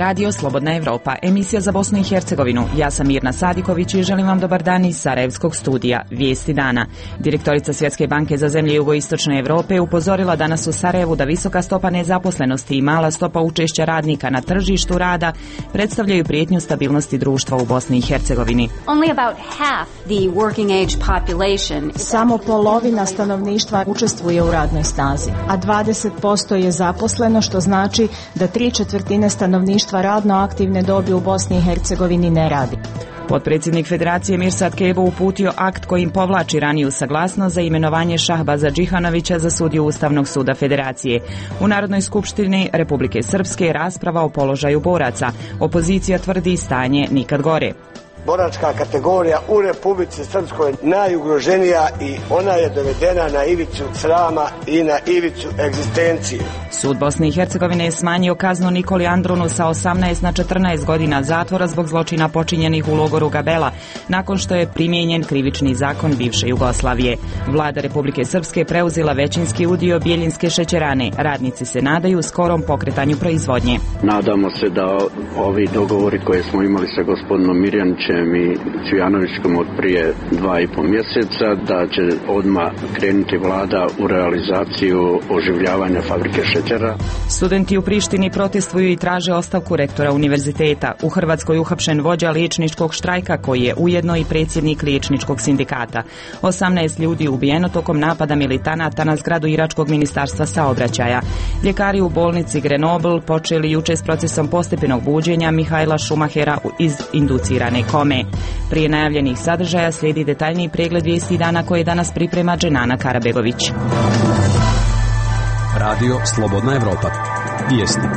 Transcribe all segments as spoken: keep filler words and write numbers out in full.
radio Slobodna Evropa, emisija za Bosnu i Hercegovinu. Ja sam Mirna Sadiković i želim vam dobar dan iz Sarajevskog studija. Vijesti dana. Direktorica Svjetske banke za zemlje jugoistočne Evrope upozorila danas u Sarajevu da visoka stopa nezaposlenosti i mala stopa učešća radnika na tržištu rada predstavljaju prijetnju stabilnosti društva u Bosni i Hercegovini. Samo polovina stanovništva učestvuje u radnoj snazi, a dvadeset posto je zaposleno, što znači da tri četvrtine stanovništva radno aktivne dobi u Bosni i Hercegovini ne radi. Potpredsjednik Federacije Mirsad Kebo uputio akt kojim povlači raniju saglasnost za imenovanje Šahbaza Džihanovića za sudiju Ustavnog suda Federacije. U Narodnoj skupštini Republike Srpske rasprava o položaju boraca. Opozicija tvrdi stanje nikad gore. Boračka kategorija u Republici Srpskoj najugroženija i ona je dovedena na ivicu srama i na ivicu egzistencije. Sud Bosne i Hercegovine je smanjio kaznu Nikoli Andrunu sa osamnaest na četrnaest godina zatvora zbog zločina počinjenih u logoru Gabela, nakon što je primijenjen krivični zakon bivše Jugoslavije. Vlada Republike Srpske preuzela većinski udio Bjeljinske šećerane. Radnici se nadaju skorom pokretanju proizvodnje. Nadamo se da ovi dogovori koje smo imali sa gospodinom Mirjanićem i Cvijanovićkom od prije dva i pol mjeseca, da će odmah krenuti vlada u realizaciju oživljavanja fabrike šećera. Studenti u Prištini protestuju i traže ostavku rektora univerziteta. U Hrvatskoj uhapšen vođa liječničkog štrajka koji je ujedno i predsjednik liječničkog sindikata. osamnaest ljudi ubijeno tokom napada militanata na zgradu iračkog ministarstva saobraćaja. Ljekari u bolnici Grenoble počeli juče s procesom postepenog buđenja Mihajla Šumahera iz inducirane kome. Prije najavljenih sadržaja slijedi detaljniji pregled vijesti dana koje danas priprema Dženana Karabegović. Radio Slobodna Evropa. Vijesti.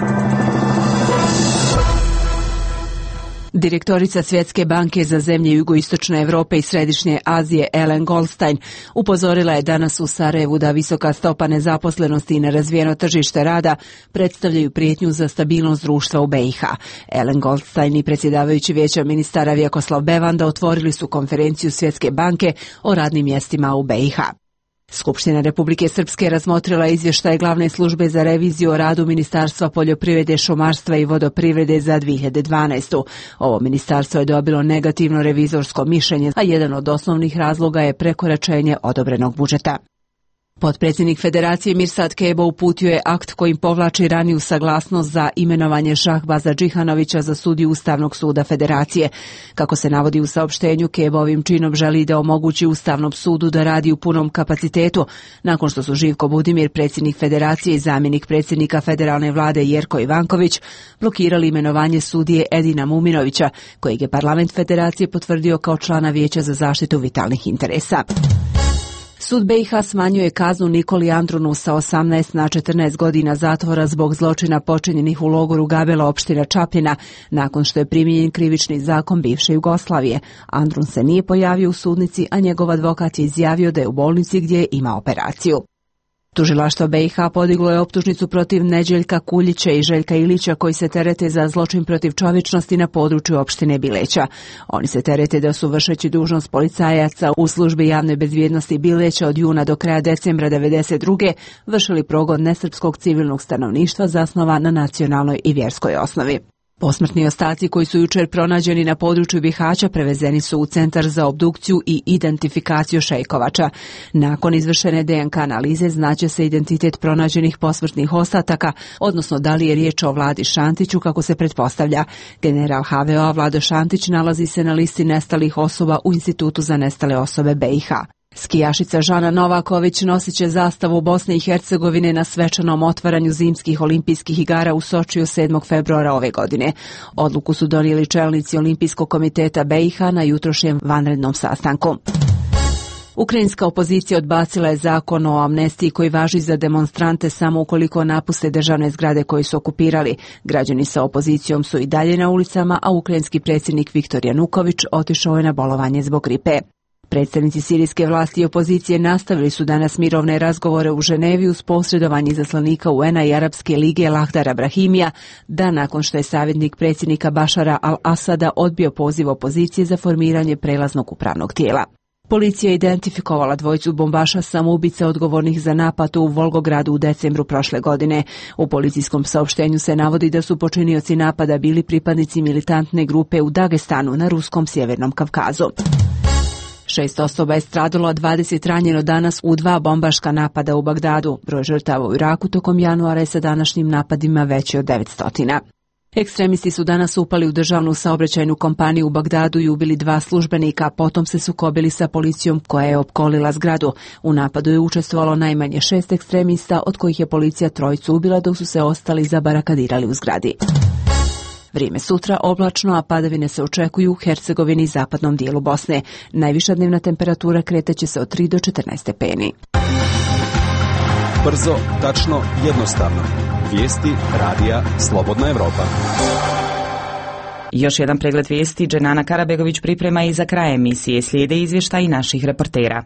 Direktorica Svjetske banke za zemlje jugoistočne Europe i Središnje Azije Ellen Goldstein upozorila je danas u Sarajevu da visoka stopa nezaposlenosti i nerazvijeno tržište rada predstavljaju prijetnju za stabilnost društva u B i H. Ellen Goldstein i predsjedavajući Vijeća ministara Vjekoslav Bevanda otvorili su konferenciju Svjetske banke o radnim mjestima u B i H. Skupština Republike Srpske razmotrila izvještaj glavne službe za reviziju o radu Ministarstva poljoprivrede, šumarstva i vodoprivrede za dvije hiljade dvanaestu. Ovo ministarstvo je dobilo negativno revizorsko mišljenje, a jedan od osnovnih razloga je prekoračenje odobrenog budžeta. Potpredsjednik Federacije Mirsad Kebo uputio je akt kojim povlači raniju saglasnost za imenovanje Šahbaza Džihanovića za sudiju Ustavnog suda Federacije. Kako se navodi u saopštenju, Kebo ovim činom želi da omogući Ustavnom sudu da radi u punom kapacitetu, nakon što su Živko Budimir, predsjednik Federacije, i zamjenik predsjednika federalne vlade Jerko Ivanković blokirali imenovanje sudije Edina Muminovića, kojeg je parlament Federacije potvrdio kao člana Vijeća za zaštitu vitalnih interesa. Sud B i H smanjuje kaznu Nikoli Andrunu sa osamnaest na četrnaest godina zatvora zbog zločina počinjenih u logoru Gabela, opština Čapljina, nakon što je primijenjen krivični zakon bivše Jugoslavije. Andrun se nije pojavio u sudnici, a njegov advokat je izjavio da je u bolnici gdje ima operaciju. Tužilaštvo B i H podiglo je optužnicu protiv Neđeljka Kuljića i Željka Ilića koji se terete za zločin protiv čovječnosti na području opštine Bileća. Oni se terete da su vršeći dužnost policajaca u službi javne bezbjednosti Bileća od juna do kraja decembra devedeset druge vršili progon nesrpskog civilnog stanovništva zasnovan na nacionalnoj i vjerskoj osnovi. Posmrtni ostaci koji su jučer pronađeni na području Bihaća prevezeni su u Centar za obdukciju i identifikaciju Šejkovača. Nakon izvršene D N K analize znaće se identitet pronađenih posmrtnih ostataka, odnosno da li je riječ o Vladi Šantiću kako se pretpostavlja. General H V O Vlado Šantić nalazi se na listi nestalih osoba u Institutu za nestale osobe B i H. Skijašica Žana Novaković nosit će zastavu Bosne i Hercegovine na svečanom otvaranju zimskih olimpijskih igara u Sočiju sedmog februara ove godine. Odluku su donijeli čelnici Olimpijskog komiteta B i H na jutrošnjem vanrednom sastanku. Ukrajinska opozicija odbacila je zakon o amnestiji koji važi za demonstrante samo ukoliko napuste državne zgrade koje su okupirali. Građani sa opozicijom su i dalje na ulicama, a ukrajinski predsjednik Viktor Januković otišao je na bolovanje zbog gripe. Predstavnici sirijske vlasti i opozicije nastavili su danas mirovne razgovore u Ženevi uz posredovanje izaslanika U N-a i Arapske lige Lahdara Brahimija, dan nakon što je savjetnik predsjednika Bašara al-Asada odbio poziv opozicije za formiranje prelaznog upravnog tijela. Policija je identifikovala dvojicu bombaša samoubica odgovornih za napad u Volgogradu u decembru prošle godine. U policijskom saopštenju se navodi da su počinioci napada bili pripadnici militantne grupe u Dagestanu na ruskom sjevernom Kavkazu. Šest osoba je stradalo, a dvadeset ranjeno danas u dva bombaška napada u Bagdadu. Broj žrtava u Iraku tokom januara je sa današnjim napadima veći od devetsto. Ekstremisti su danas upali u državnu saobraćajnu kompaniju u Bagdadu i ubili dva službenika, a potom se sukobili sa policijom koja je opkolila zgradu. U napadu je učestvovalo najmanje šest ekstremista, od kojih je policija trojicu ubila, dok su se ostali zabarakadirali u zgradi. Vrijeme sutra oblačno, a padavine se očekuju u Hercegovini i zapadnom dijelu Bosne. Najviša dnevna temperatura kretaće se od tri do četrnaest stepeni. Brzo, tačno, jednostavno. Vijesti radija Slobodna Evropa. Još jedan pregled vijesti Dženana Karabegović priprema i za kraj emisije. Slijede izvještaji naših reportera.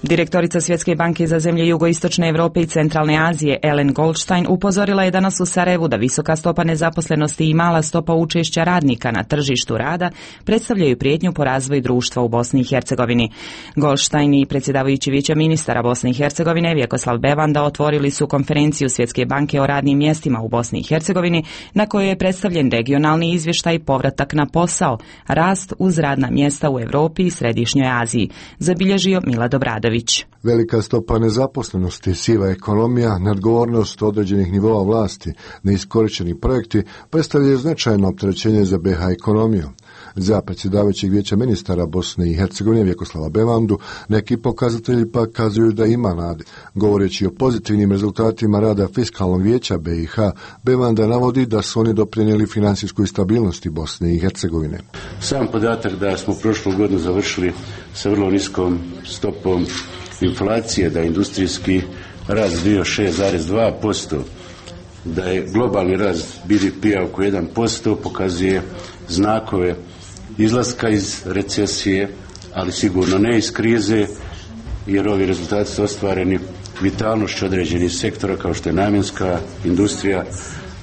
Direktorica Svjetske banke za zemlje jugoistočne Europe i centralne Azije Ellen Goldstein upozorila je danas u Sarajevu da visoka stopa nezaposlenosti i mala stopa učešća radnika na tržištu rada predstavljaju prijetnju po razvoju društva u Bosni i Hercegovini. Goldstein i predsjedavajući Vijeća ministara Bosne i Hercegovine Vjekoslav Bevanda otvorili su konferenciju Svjetske banke o radnim mjestima u Bosni i Hercegovini, na kojoj je predstavljen regionalni izvještaj povratak na posao, rast uz radna mjesta u Europi i Središnjoj Aziji, zabilježio Milad Obradović. Velika stopa nezaposlenosti, siva ekonomija, neodgovornost određenih nivoa vlasti, neiskorišteni projekti predstavljaju značajno opterećenje za be ha ekonomiju. Za predsjedavajućeg Vijeća ministara Bosne i Hercegovine Vjekoslava Bevandu neki pokazatelji pa kazuju da ima nade. Govoreći o pozitivnim rezultatima rada Fiskalnog vijeća be i ha, Bevanda navodi da su oni doprinijeli financijskoj stabilnosti Bosne i Hercegovine. Sam podatak da smo prošlu godinu završili sa vrlo niskom stopom inflacije, da je industrijski rast bio šest zarez dva posto, da je globalni rast be de pe-a oko jedan posto, pokazuje znakove izlaska iz recesije, ali sigurno ne iz krize, jer ovi rezultati su ostvareni vitalnošću određenih sektora kao što je namjenska industrija,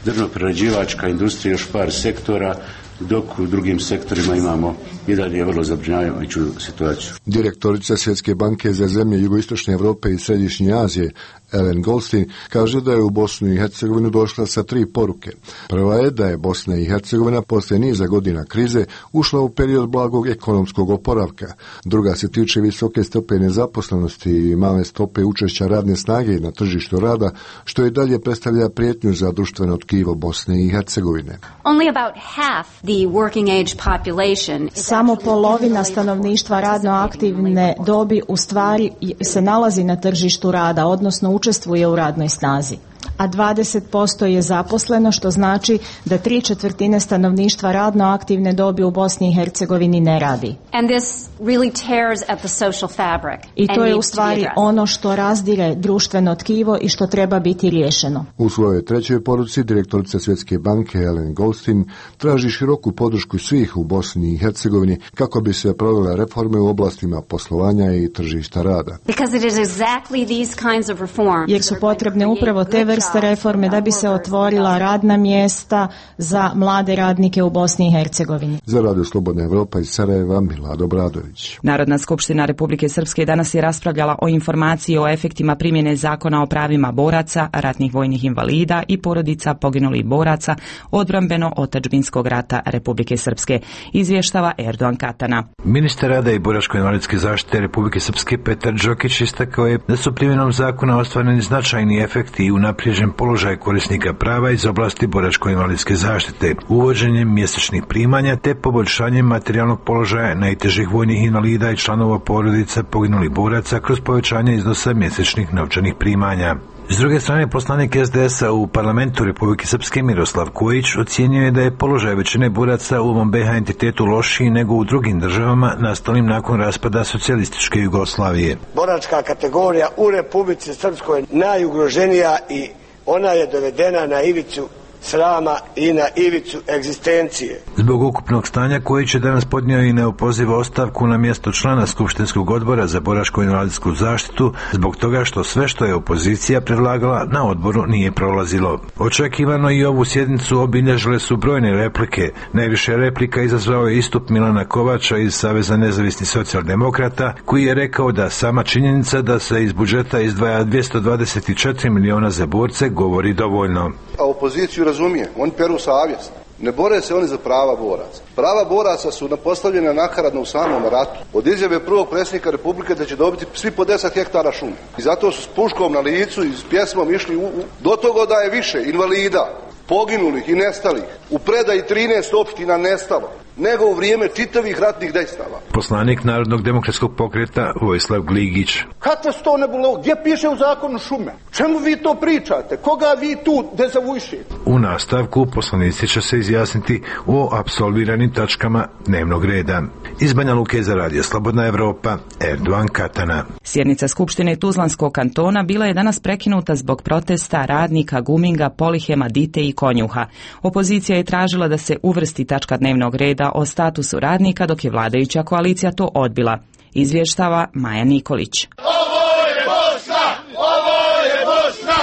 drvno-prerađivačka industrija, još par sektora, dok u drugim sektorima imamo i dalje vrlo zabrinjavajuću situaciju. Direktorica Svjetske banke za zemlje jugoistočne Europe i Središnje Azije Ellen Goldstein kaže da je u Bosnu i Hercegovinu došla sa tri poruke. Prva je da je Bosna i Hercegovina poslije niza godina krize ušla u period blagog ekonomskog oporavka. Druga se tiče visoke stope nezaposlenosti i male stope učešća radne snage na tržištu rada, što i dalje predstavlja prijetnju za društveno tkivo Bosne i Hercegovine. Only about half the working age population. Samo polovina stanovništva radno aktivne dobi u stvari se nalazi na tržištu rada, odnosno učestvuje u radnoj snazi, a dvadeset posto je zaposleno, što znači da tri četvrtine stanovništva radno aktivne dobi u Bosni i Hercegovini ne radi. And this really tears at the social fabric. I to je u stvari ono što razdire društveno tkivo i što treba biti riješeno. U svojoj trećoj poruci direktorica Svjetske banke Ellen Goldstein traži široku podršku svih u Bosni i Hercegovini kako bi se provele reforme u oblastima poslovanja i tržišta rada. Because it is exactly these kinds of reforms. Jer su potrebne upravo te vrste reforme da bi se otvorila radna mjesta za mlade radnike u Bosni i Hercegovini. Za Radio Slobodna Evropa iz Sarajeva, Milad Obradović. Narodna skupština Republike Srpske danas je raspravljala o informaciji o efektima primjene zakona o pravima boraca, ratnih vojnih invalida i porodica poginulih boraca odbrambeno-otadžbinskog rata Republike Srpske, izvještava Erdogan Katana. Ministar rada i boračko-invalidske zaštite Republike Srpske Petar Đokić istakao je da su primjenom zakona ostvareni značajni efekti i unaprijeđen položaj korisnika prava iz oblasti boračko-invalidske zaštite, uvođenjem mjesečnih primanja te poboljšanjem materijalnog položaja najtežih vojnih invalida i članova porodica poginulih boraca kroz povećanje iznosa mjesečnih novčanih primanja. S druge strane, poslanik es de es a u parlamentu Republike Srpske Miroslav Kojić ocijenio je da je položaj većine boraca u ovom be ha entitetu lošiji nego u drugim državama nastalim nakon raspada socijalističke Jugoslavije. Boračka kategorija u Republici Srpskoj najugroženija i ona je dovedena na ivicu srama i na ivicu egzistencije. Zbog ukupnog stanja koji će danas podnio i neopoziva ostavku na mjesto člana Skupštinskog odbora za boračko-invalidsku zaštitu, zbog toga što sve što je opozicija predlagala na odboru nije prolazilo. Očekivano i ovu sjednicu obilježile su brojne replike. Najviše replika izazvao je istup Milana Kovača iz Saveza nezavisnih socijaldemokrata, koji je rekao da sama činjenica da se iz budžeta izdvaja dvjesto dvadeset četiri miliona za borce govori dovoljno. A opoziciju razumije, oni peru savjest. Ne bore se oni za prava boraca. Prava boraca su postavljena nakaradno u samom ratu. Od izjave prvog predsjednika Republike da će dobiti svi po deset hektara šume. I zato su s puškom na licu i s pjesmom išli u, u, do toga da je više invalida, poginulih i nestalih, u predaji trinaest opština nestalo, nego u vrijeme čitavih ratnih dejstava. Poslanik Narodnog demokratskog pokreta Vojislav Gligić. Kakve su to nebulo? Gdje piše u zakonu šume? Čemu vi to pričate? Koga vi tu dezavušite? U nastavku poslanici će se izjasniti o apsolviranim tačkama dnevnog reda. Iz Banja Luke za Radio Slobodna Evropa, Erdogan Katana. Sjednica Skupštine Tuzlanskog kantona bila je danas prekinuta zbog protesta radnika Guminga, Polihema, Dite i Konjuha. Opozicija je tražila da se uvrsti tačka dnevnog reda o statusu radnika, dok je vladajuća koalicija to odbila. Izvještava Maja Nikolić. Ovo je Bosna! Ovo je Bosna!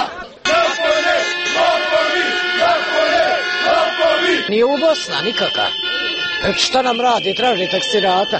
Napolje! Lopovi! Napolje! Lopovi! Nije u Bosna nikaka. Šta nam radi? Traži taksirata.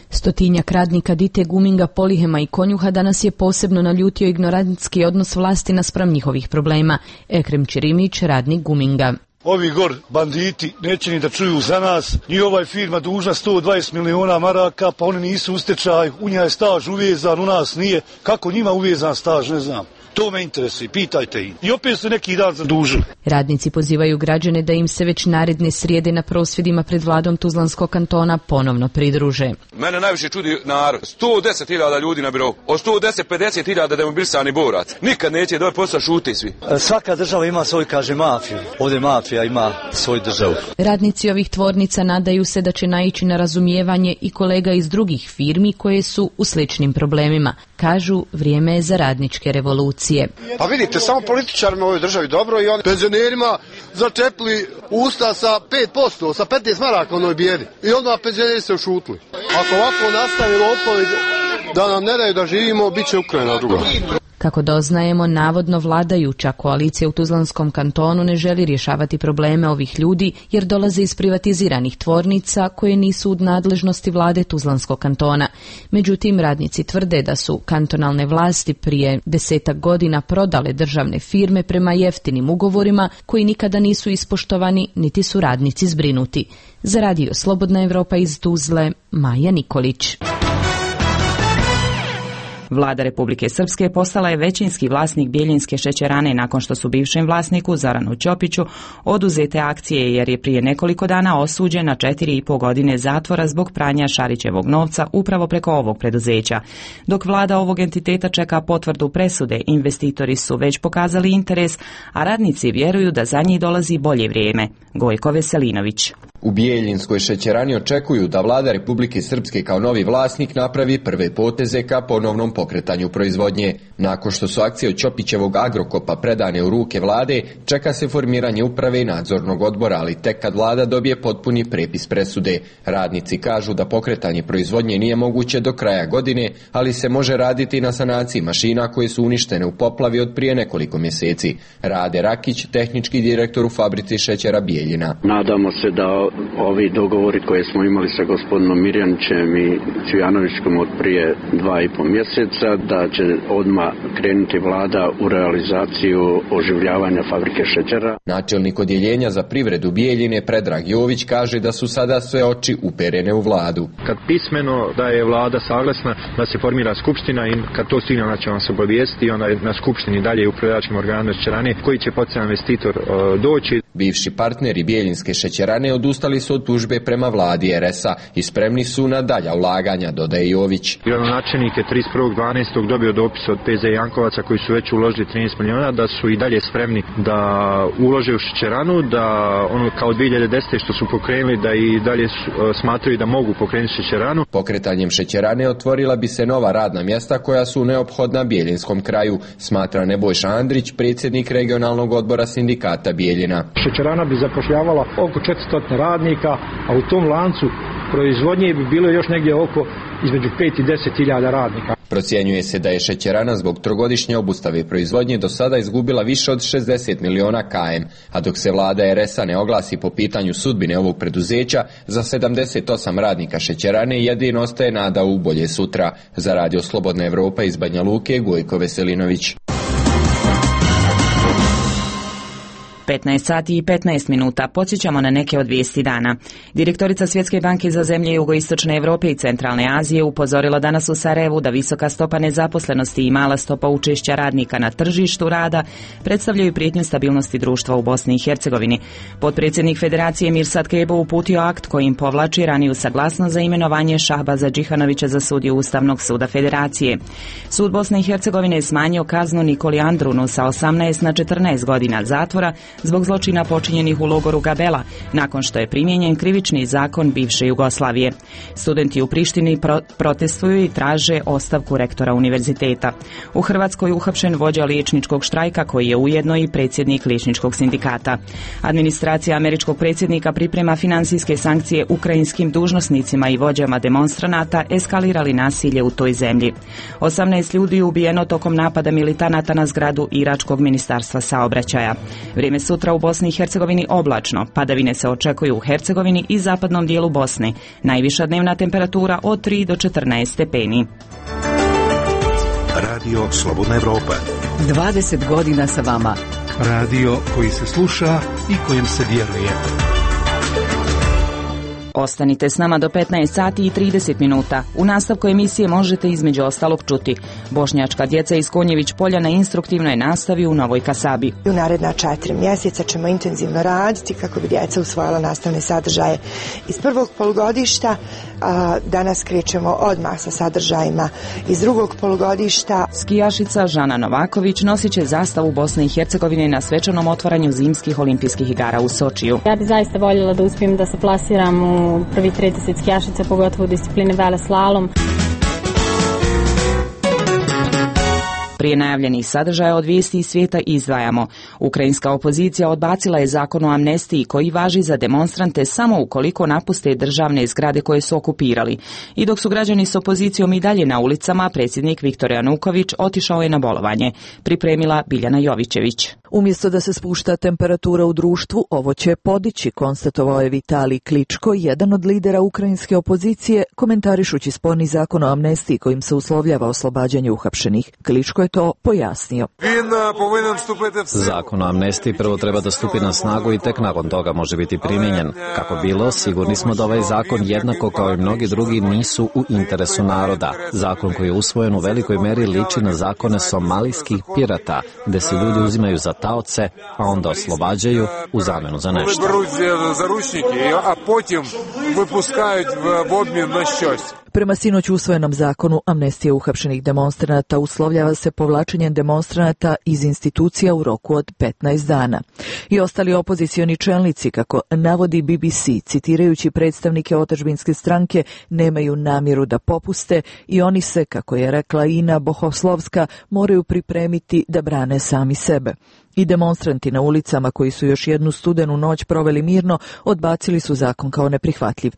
Stotinjak radnika Dite, Guminga, Polihema i Konjuha danas je posebno naljutio ignorantski odnos vlasti naspram njihovih problema. Ekrem Čirimić, radnik Guminga. Ovi gor banditi neće ni da čuju za nas. Njihova je firma dužna sto dvadeset miliona maraka, pa oni nisu u stečaju. U njih je staž uvezan, u nas nije. Kako njima uvezan staž, ne znam. To me interesuje, pitajte ih. I opet su neki dan zadužili. Radnici pozivaju građane da im se već naredne srijede na prosvjedima pred vladom Tuzlanskog kantona ponovno pridruže. Mene najviše čudi narod. sto deset hiljada ljudi na birovu. Od sto deset pedeset hiljada demobilisani borac. Nikad neće da posla šute svi. Svaka država ima svoj, kaže, mafiju. Ovdje mafija ima svoju državu. Radnici ovih tvornica nadaju se da će naići na razumijevanje i kolega iz drugih firmi koje su u sličnim problemima. Kažu, vrijeme je za radničke revolucije. Pa vidite, samo političarima u ovoj državi dobro i oni penzionerima začepili usta sa pet posto, sa petnaest maraka u onoj bijedi. I onda penzioneri se ušutili. Ako ovako nastavi lopovi da nam ne daju da živimo, bit će Ukrajina druga. Kako doznajemo, navodno vladajuća koalicija u Tuzlanskom kantonu ne želi rješavati probleme ovih ljudi jer dolaze iz privatiziranih tvornica koje nisu u nadležnosti vlade Tuzlanskog kantona. Međutim, radnici tvrde da su kantonalne vlasti prije desetak godina prodale državne firme prema jeftinim ugovorima koji nikada nisu ispoštovani niti su radnici zbrinuti. Za Radio Slobodna Evropa iz Tuzle, Maja Nikolić. Vlada Republike Srpske postala je većinski vlasnik Bjeljinske šećerane nakon što su bivšem vlasniku Zoranu Ćopiću oduzete akcije jer je prije nekoliko dana osuđen na četiri i po godine zatvora zbog pranja Šarićevog novca upravo preko ovog preduzeća. Dok vlada ovog entiteta čeka potvrdu presude, investitori su već pokazali interes, a radnici vjeruju da za njih dolazi bolje vrijeme. Gojko Veselinović. U Bijeljinskoj šećerani očekuju da vlada Republike Srpske kao novi vlasnik napravi prve poteze ka ponovnom pokretanju proizvodnje. Nakon što su akcije od Ćopićevog Agrokopa predane u ruke vlade, čeka se formiranje uprave i nadzornog odbora, ali tek kad vlada dobije potpuni prepis presude. Radnici kažu da pokretanje proizvodnje nije moguće do kraja godine, ali se može raditi na sanaciji mašina koje su uništene u poplavi od prije nekoliko mjeseci. Rade Rakić, tehnički direktor u fabrici šećera Bijeljina. Nadamo se da ovi dogovori koje smo imali sa gospodinom Mirjanićem i Cvijanovićkom od prije dva i po mjeseca, da će odmah krenuti vlada u realizaciju oživljavanja fabrike šećera. Načelnik odjeljenja za privredu Bijeljine Predrag Jović kaže da su sada sve oči uperene u vladu. Kad pismeno da je vlada saglasna da se formira skupština i kad to stigne onda će vam se obavijestiti, onda je na skupštini dalje u upravljačkim organu šećerane koji će potencijalni investitor uh, doći. Bivši partneri Bijeljinske šećerane odustali odustali su od tužbe prema vladi er es a i spremni su na dalja ulaganja, dodaje Jović. Gradonačelnik je trideset prvog dvanaestog dobio dopis od pe ze Jankovaca koji su već uložili trinaest miliona da su i dalje spremni da ulože u šećeranu, da ono kao dvije hiljade desete što su pokrenuli da i dalje su, smatraju da mogu pokrenuti šećeranu. Pokretanjem šećerane otvorila bi se nova radna mjesta koja su neophodna Bijelinskom kraju, smatra Nebojša Andrić, predsjednik regionalnog odbora sindikata Bijeljina. Šećerana bi zapošljavala oko četiristo radnika, a u tom lancu proizvodnje bi bilo još negdje oko između pet i deset hiljada radnika. Procjenjuje se da je šećerana zbog trogodišnje obustave proizvodnje do sada izgubila više od šezdeset miliona km, a dok se vlada er es a ne oglasi po pitanju sudbine ovog preduzeća, za sedamdeset osam radnika šećerane jedino ostaje nada u bolje sutra. Za Radio Slobodna Evropa iz Banja Luke, Gojko Veselinović. petnaest sati i petnaest minuta. Podsjećamo na neke od vijesti dana. Direktorica Svjetske banke za zemlje jugoistočne Europe i centralne Azije upozorila danas u Sarajevu da visoka stopa nezaposlenosti i mala stopa učešća radnika na tržištu rada predstavljaju prijetnju stabilnosti društva u Bosni i Hercegovini. Potpredsjednik Federacije Mirsad Kebo uputio akt kojim povlači raniju saglasnost za imenovanje Šahbaza Džihanovića za sudiju Ustavnog suda Federacije. Sud Bosne i Hercegovine je smanjio kaznu Nikoli Andrunu sa osamnaest na četrnaest godina zatvora zbog zločina počinjenih u logoru Gabela, nakon što je primijenjen krivični zakon bivše Jugoslavije. Studenti u Prištini pro- protestuju i traže ostavku rektora univerziteta. U Hrvatskoj uhapšen vođa liječničkog štrajka koji je ujedno i predsjednik liječničkog sindikata. Administracija američkog predsjednika priprema financijske sankcije ukrajinskim dužnosnicima i vođama demonstranata eskalirali nasilje u toj zemlji. osamnaest ljudi ubijeno tokom napada militanata na zgradu Iračkog ministarstva saobraćaja. Vrijeme sutra u Bosni i Hercegovini oblačno. Padavine se očekuju u Hercegovini i zapadnom dijelu Bosne. Najviša dnevna temperatura od tri do četrnaest stepeni. Radio Slobodna Evropa. dvadeset godina sa vama. Radio koji se sluša i kojem se vjeruje. Ostanite s nama do petnaest sati i trideset minuta. U nastavku emisije možete između ostalog čuti: bošnjačka djeca iz Konjević polja na instruktivnoj nastavi u Novoj Kasabi. U naredna četiri mjeseca ćemo intenzivno raditi kako bi djeca usvojila nastavne sadržaje iz prvog polugodišta. A danas krećemo odmah sa sadržajima iz drugog polugodišta. Skijašica Žana Novaković nosit će zastavu Bosne i Hercegovine na svečanom otvaranju zimskih olimpijskih igara u Sočiju. Ja bih zaista voljela da uspijem da se plasiram u prvih trideset skijašica, pogotovo u discipline veleslalom. Prije najavljenih sadržaja od vijesti iz svijeta izdvajamo: ukrajinska opozicija odbacila je zakon o amnestiji koji važi za demonstrante samo ukoliko napuste državne zgrade koje su okupirali. I dok su građani s opozicijom i dalje na ulicama, predsjednik Viktor Januković otišao je na bolovanje. Pripremila Biljana Jovićević. Umjesto da se spušta temperatura u društvu, ovo će podići, konstatovao je Vitalij Kličko, jedan od lidera ukrajinske opozicije, komentarišući sporni zakon o amnestiji kojim se uslovljava oslobađanje uhapšenih. Kličko je to pojasnio. Zakon o amnestiji prvo treba da stupi na snagu i tek nakon toga može biti primijenjen. Kako bilo, sigurni smo da ovaj zakon jednako kao i mnogi drugi nisu u interesu naroda. Zakon koji je usvojen u velikoj meri liči na zakone somalijskih pirata, gde se ljudi uzimaju za taoce, a onda oslobađaju u zamjenu za nešto. Prema sinoć usvojenom zakonu, amnestija uhapšenih demonstranata uslovljava se povlačenjem demonstranata iz institucija u roku od petnaest dana. I ostali opozicioni čelnici, kako navodi B B C, citirajući predstavnike otadžbinske stranke, nemaju namjeru da popuste i oni se, kako je rekla Ina Bohoslovska, moraju pripremiti da brane sami sebe. I demonstranti na ulicama koji su još jednu studenu noć proveli mirno, odbacili su zakon kao neprihvatljiv.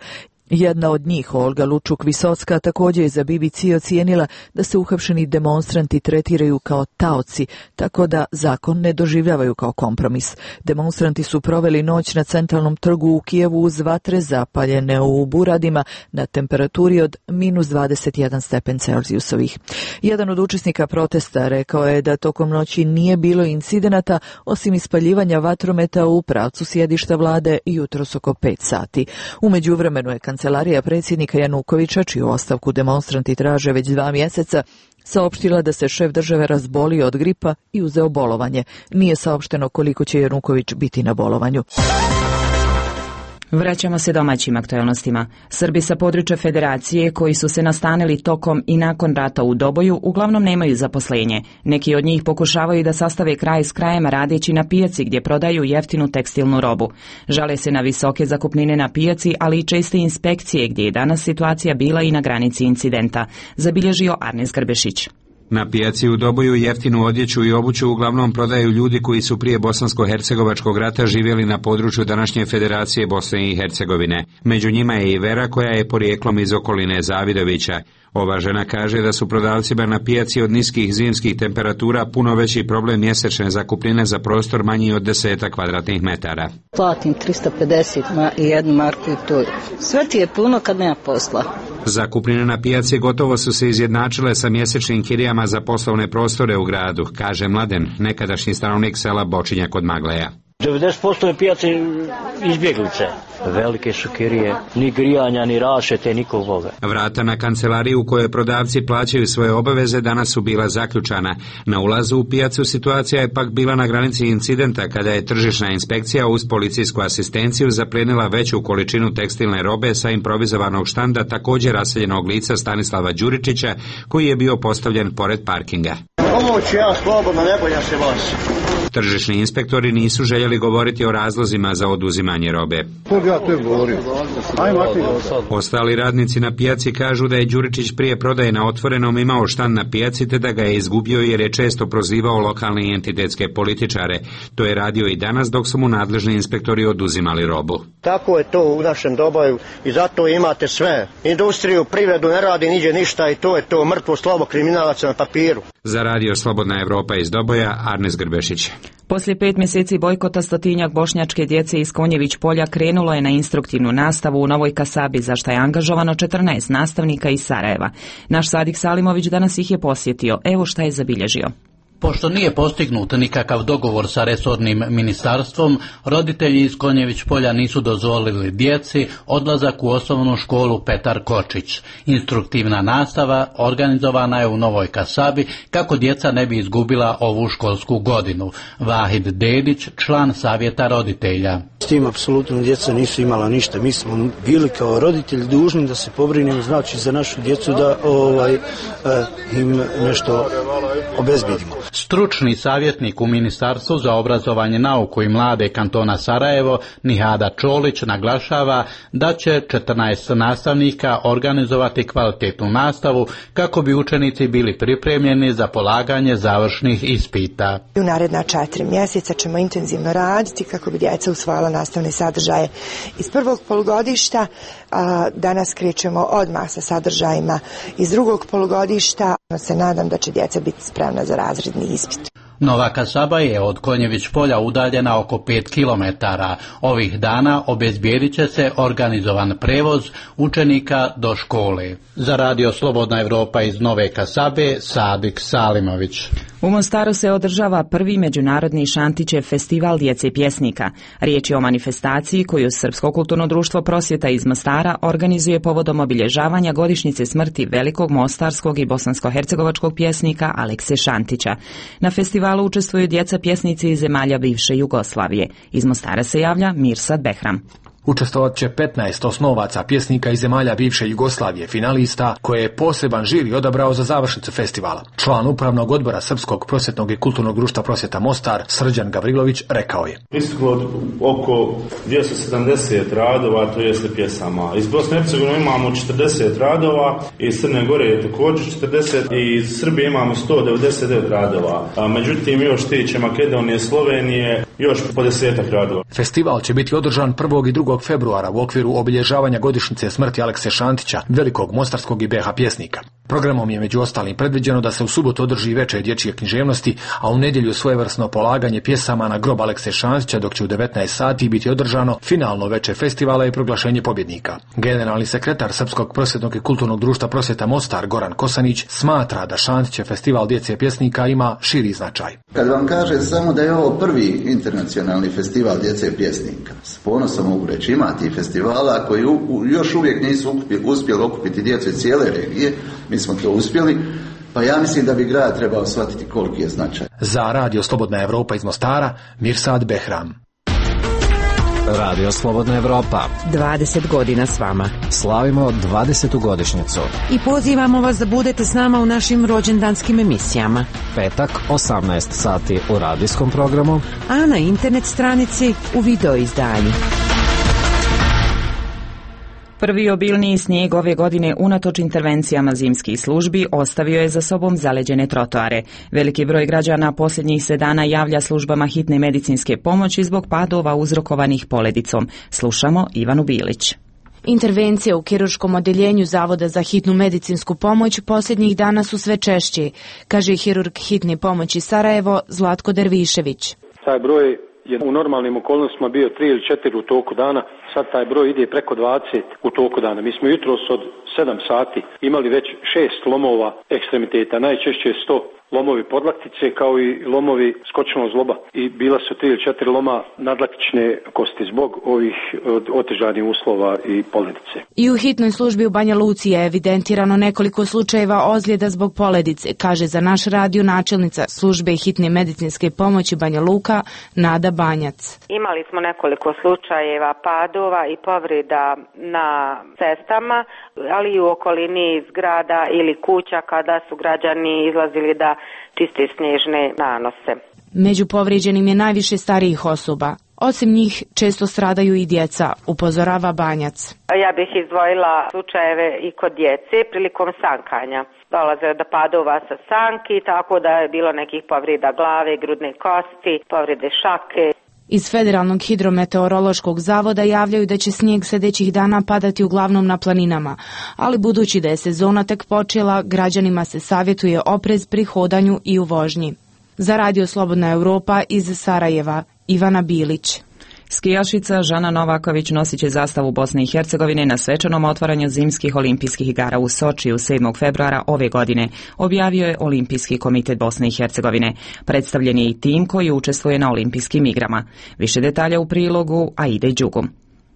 Jedna od njih, Olga Lučuk-Visocka, također je za B B C ocijenila da se uhapšeni demonstranti tretiraju kao taoci, tako da zakon ne doživljavaju kao kompromis. Demonstranti su proveli noć na centralnom trgu u Kijevu uz vatre zapaljene u buradima na temperaturi od minus dvadeset jedan stepen Celzijusovih. Jedan od učesnika protesta rekao je da tokom noći nije bilo incidenata osim ispaljivanja vatrometa u pravcu sjedišta vlade jutros oko pet sati. U međuvremenu je Kancelarija predsjednika Janukovića, čiju ostavku demonstranti traže već dva mjeseca, saopštila da se šef države razbolio od gripa i uzeo bolovanje. Nije saopšteno koliko će Januković biti na bolovanju. Vraćamo se domaćim aktualnostima. Srbi sa područja Federacije koji su se nastanili tokom i nakon rata u Doboju uglavnom nemaju zaposlenje. Neki od njih pokušavaju da sastave kraj s krajem radeći na pijaci gdje prodaju jeftinu tekstilnu robu. Žale se na visoke zakupnine na pijaci, ali i česte inspekcije gdje je danas situacija bila i na granici incidenta, zabilježio Arnes Grbešić. Na pijaci u Doboju jeftinu odjeću i obuću uglavnom prodaju ljudi koji su prije bosansko-hercegovačkog rata živjeli na području današnje Federacije Bosne i Hercegovine. Među njima je i Vera koja je porijeklom iz okoline Zavidovića. Ova žena kaže da su prodavcima na pijaci od niskih zimskih temperatura puno veći problem mjesečne zakupnine za prostor manji od deseta kvadratnih metara. Platim tristo pedeset i jednu marku i to. Sve ti je puno kad nema posla. Zakupnine na pijaci gotovo su se izjednačile sa mjesečnim kirijama za poslovne prostore u gradu, kaže Mladen, nekadašnji stanovnik sela Bočinja kod Magleja. devedeset posto je pijace izbjeglice. Velike su kirije, ni grijanja, ni rašete, nikog Boga. Vrata na kancelariju u kojoj prodavci plaćaju svoje obaveze danas su bila zaključana. Na ulazu u pijacu situacija je pak bila na granici incidenta kada je tržišna inspekcija uz policijsku asistenciju zaplenila veću količinu tekstilne robe sa improvizovanog štanda također raseljenog lica Stanislava Đuričića koji je bio postavljen pored parkinga. Ovo ću ja slobodno, ne bojim se vas. Tržišni inspektori nisu željeli govoriti o razlozima za oduzimanje robe. Ostali radnici na pijaci kažu da je Đuričić prije prodaje na otvorenom imao štand na pijaci te da ga je izgubio jer je često prozivao lokalne i entitetske političare. To je radio i danas dok su mu nadležni inspektori oduzimali robu. Tako je to u našem Doboju i zato imate sve. Industriju, privredu ne radi niđe ništa i to je to mrtvo slovo kriminalaca na papiru. Za radio Slobodna Evropa iz Doboja, Arnes Grbešić. Poslije pet mjeseci bojkota stotinjak bošnjačke djece iz Konjević polja krenulo je na instruktivnu nastavu u Novoj Kasabi, za što je angažovano četrnaest nastavnika iz Sarajeva. Naš Sadik Salimović danas ih je posjetio. Evo šta je zabilježio. Pošto nije postignut nikakav dogovor sa resornim ministarstvom, roditelji iz Konjević polja nisu dozvolili djeci odlazak u osnovnu školu Petar Kočić. Instruktivna nastava organizovana je u Novoj Kasabi kako djeca ne bi izgubila ovu školsku godinu. Vahid Dedić, član savjeta roditelja. S tim apsolutno djeca nisu imala ništa. Mi smo bili kao roditelji dužni da se pobrinemo, znači za našu djecu da ovaj, eh, im nešto obezbedimo. Stručni savjetnik u Ministarstvu za obrazovanje, nauku i mlade kantona Sarajevo, Nihada Čolić, naglašava da će četrnaest nastavnika organizovati kvalitetnu nastavu kako bi učenici bili pripremljeni za polaganje završnih ispita. U naredna četiri mjeseca ćemo intenzivno raditi kako bi djeca usvojila nastavne sadržaje iz prvog polugodišta. A danas krećemo odmah sa sadržajima iz drugog polugodišta. Se nadam da će djeca biti spremna za razredni ispit. Nova Kasaba je od Konjević polja udaljena oko pet kilometara. Ovih dana obezbijedit će se organizovan prevoz učenika do škole. Za radio Slobodna Evropa iz Nove Kasabe, Sadik Salimović. U Mostaru se održava prvi međunarodni Šantićev festival djece pjesnika. Riječ je o manifestaciji koju Srpsko kulturno društvo Prosvjeta iz Mostara organizuje povodom obilježavanja godišnjice smrti velikog mostarskog i bosansko-hercegovačkog pjesnika Alekse Šantića. Na festivalu učestvuju djeca pjesnici iz zemalja bivše Jugoslavije. Iz Mostara se javlja Mirsad Behram. Učestvovat će petnaest osnovaca pjesnika iz zemalja bivše Jugoslavije, finalista, koje je poseban žiri odabrao za završnicu festivala. Član upravnog odbora Srpskog prosvjetnog i kulturnog društva Prosvjeta Mostar, Srđan Gavrilović, rekao je: Pristiglo oko dvjesto sedamdeset radova, to jeste pjesama. Iz Bosne i Hercegovine imamo četrdeset radova, iz Crne Gore je također četrdeset i iz Srbije imamo sto devedeset devet radova. A međutim, još tiče Makedonije, Slovenije, još po desetak radova. Festival će biti održan prvog i drugog februara u okviru obilježavanja godišnjice smrti Alekse Šantića, velikog mostarskog i be ha pjesnika. Programom je među ostalim predviđeno da se u subotu održi večer dječje književnosti, a u nedjelju svojevrsno polaganje pjesama na grob Alekse Šantića, dok će u devetnaest sati biti održano finalno večer festivala i proglašenje pobjednika. Generalni sekretar Srpskog prosvjetnog i kulturnog društva Prosvjeta Mostar, Goran Kosanić, smatra da Šantićev festival djece pjesnika ima širi značaj. Kad vam kažem samo da je ovo prvi internacionalni festival djece pjesnika, s ponosom mogu reći, ima ti festivala koji u, u, još uvijek nisu uspjeli okupiti djecu iz cijele regije, mi smo to uspjeli, pa ja mislim da bi grad trebao shvatiti koliki je značaj. Za radio Slobodna Evropa iz Mostara, Mirsad Behram. Radio Slobodna Evropa. dvadeset godina s vama. Slavimo dvadesetu godišnjicu. I pozivamo vas da budete s nama u našim rođendanskim emisijama. Petak, osamnaest sati u radijskom programu, a na internet stranici u video izdanju. Prvi obilniji snijeg ove godine unatoč intervencijama zimskih službi ostavio je za sobom zaleđene trotoare. Veliki broj građana posljednjih se dana javlja službama hitne medicinske pomoći zbog padova uzrokovanih poledicom. Slušamo Ivanu Bilić. Intervencije u kirurškom odjeljenju Zavoda za hitnu medicinsku pomoć posljednjih dana su sve češći, kaže hirurg hitne pomoći Sarajevo Zlatko Dervišević. Taj broj je u normalnim okolnostima bio tri ili četiri u toku dana, sad taj broj ide preko dvadeset u toku dana. Mi smo jutros od sedam sati imali već šest lomova ekstremiteta, najčešće sto lomovi podlaktice kao i lomovi skočnog zloba i bila su tri ili četiri loma nadlaktične kosti zbog ovih otežanih uslova i poledice. I u hitnoj službi u Banja Luci je evidentirano nekoliko slučajeva ozljeda zbog poledice, kaže za naš radio načelnica službe hitne medicinske pomoći Banja Luka Nada Banjac. Imali smo nekoliko slučajeva padova i povreda na cestama, ali i u okolini zgrada ili kuća kada su građani izlazili da čiste snježne nanose. Među povrijeđenim je najviše starijih osoba. Osim njih često stradaju i djeca, upozorava Banjac. Ja bih izdvojila slučajeve i kod djece prilikom sankanja. Dolaze do padova sa sanki, tako da je bilo nekih povreda glave, grudne kosti, povrede šake. Iz Federalnog hidrometeorološkog zavoda javljaju da će snijeg sljedećih dana padati uglavnom na planinama, ali budući da je sezona tek počela, građanima se savjetuje oprez pri hodanju i u vožnji. Za Radio Slobodna Europa iz Sarajeva, Ivana Bilić. Skijašica Žana Novaković nosit će zastavu Bosne i Hercegovine na svečanom otvaranju zimskih olimpijskih igara u Sočiju sedmog februara ove godine, objavio je Olimpijski komitet Bosne i Hercegovine. Predstavljen je i tim koji učestvuje na olimpijskim igrama. Više detalja u prilogu Aide Đugum.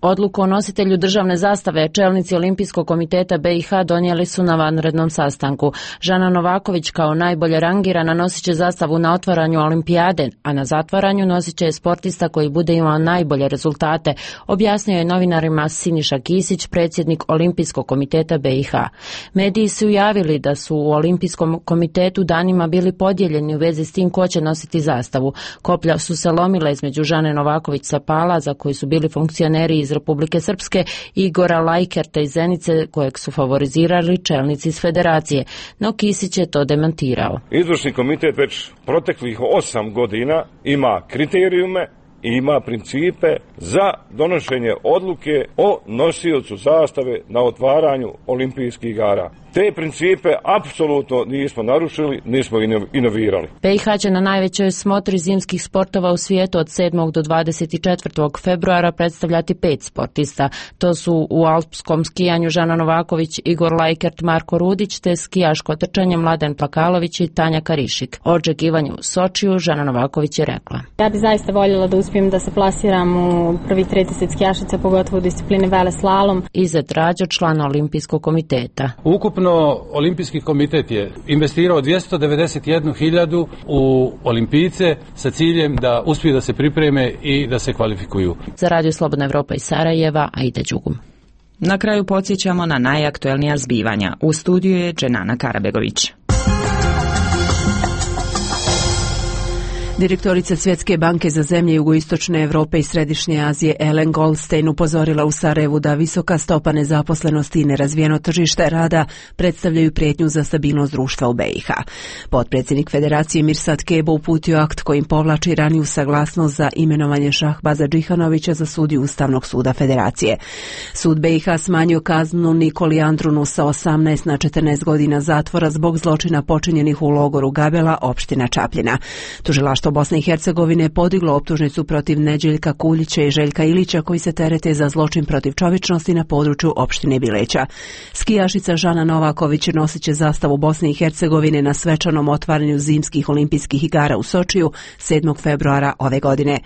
Odluku o nositelju državne zastave čelnici Olimpijskog komiteta B i H donijeli su na vanrednom sastanku. Žana Novaković kao najbolje rangirana nosit će zastavu na otvaranju olimpijade, a na zatvaranju nosit će sportista koji bude imao najbolje rezultate, objasnio je novinarima Siniša Kisić, predsjednik Olimpijskog komiteta B i H. Mediji su javili da su u Olimpijskom komitetu danima bili podijeljeni u vezi s tim ko će nositi zastavu. Koplja su se lomila između Žane Novaković sa Pala, za koji su bili funkcioneri iz Republike Srpske, i Igora Lajkerta iz Zenice, kojeg su favorizirali čelnici iz federacije, no Kisić je to demantirao. Izvršni komitet već proteklih osam godina ima kriterijume i ima principe za donošenje odluke o nosiocu zastave na otvaranju olimpijskih igara. Te principe apsolutno nismo narušili, nismo inovirali. B i H će na najvećoj smotri zimskih sportova u svijetu od sedmog do dvadeset četvrtog februara predstavljati pet sportista. To su u alpskom skijanju Žana Novaković, Igor Lajkert, Marko Rudić, te skijaško trčanje Mladen Plakalović i Tanja Karišik. O očekivanju u Sočiju Žana Novaković je rekla: Ja bih zaista voljela da uspijem da se plasiram u prvih trideset skijašica, pogotovo u disciplini veleslalom. Izet Rađo, član Olimpijskog komiteta. Ukupno Olimpijski komitet je investirao dvjesto devedeset jednu hiljadu u olimpijce sa ciljem da uspiju da se pripreme i da se kvalifikuju. Za Radio Slobodna Evropa iz Sarajeva, Aida Đugum. Na kraju podsjećamo na najaktuelnija zbivanja. U studiju je Dženana Karabegović. Direktorica Svjetske banke za zemlje jugoistočne Europe i središnje Azije Ellen Goldstein upozorila u Sarajevu da visoka stopa nezaposlenosti i nerazvijeno tržište rada predstavljaju prijetnju za stabilnost društva u B i H. Potpredsjednik Federacije Mirsad Kebo uputio akt kojim povlači raniju saglasnost za imenovanje Šahbaza Džihanovića za sudiju Ustavnog suda Federacije. Sud B i H smanjio kaznu Nikoli Andrunu sa osamnaest na četrnaest godina zatvora zbog zločina počinjenih u logoru Gabela, opština Čapljina. Tužilaštvo Bosne i Hercegovine podiglo optužnicu protiv Neđeljka Kuljića i Željka Ilića koji se terete za zločin protiv čovječnosti na području opštine Bileća. Skijašica Žana Novaković nosit će zastavu Bosne i Hercegovine na svečanom otvaranju zimskih olimpijskih igara u Sočiju sedmog februara ove godine.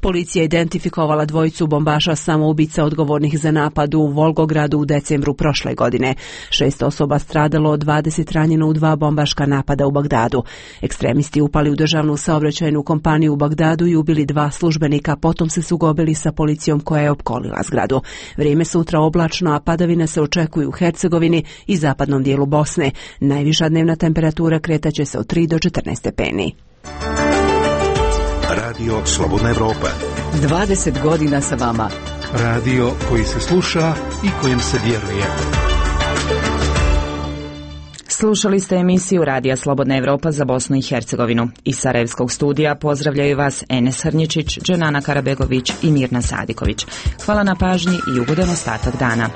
Policija identifikovala dvojicu bombaša samoubica odgovornih za napad u Volgogradu u decembru prošle godine. Šest osoba stradalo, dvadeset ranjeno u dva bombaška napada u Bagdadu. Ekstremisti upali u državnu saobraćajnu zavičajnu kompaniju u Bagdadu i ubili dva službenika, potom se sukobili sa policijom koja je opkolila zgradu. Vrijeme sutra oblačno, a padavine se očekuju u Hercegovini i zapadnom dijelu Bosne. Najviša dnevna temperatura kretaće se od tri do četrnaest stepeni. Radio Slobodna Evropa. dvadeset godina sa vama. Radio koji se sluša i kojem se vjeruje. Slušali ste emisiju Radija Slobodna Evropa za Bosnu i Hercegovinu. Iz Sarajevskog studija pozdravljaju vas Enes Hrnjičić, Dženana Karabegović i Mirna Sadiković. Hvala na pažnji i ugodan ostatak dana.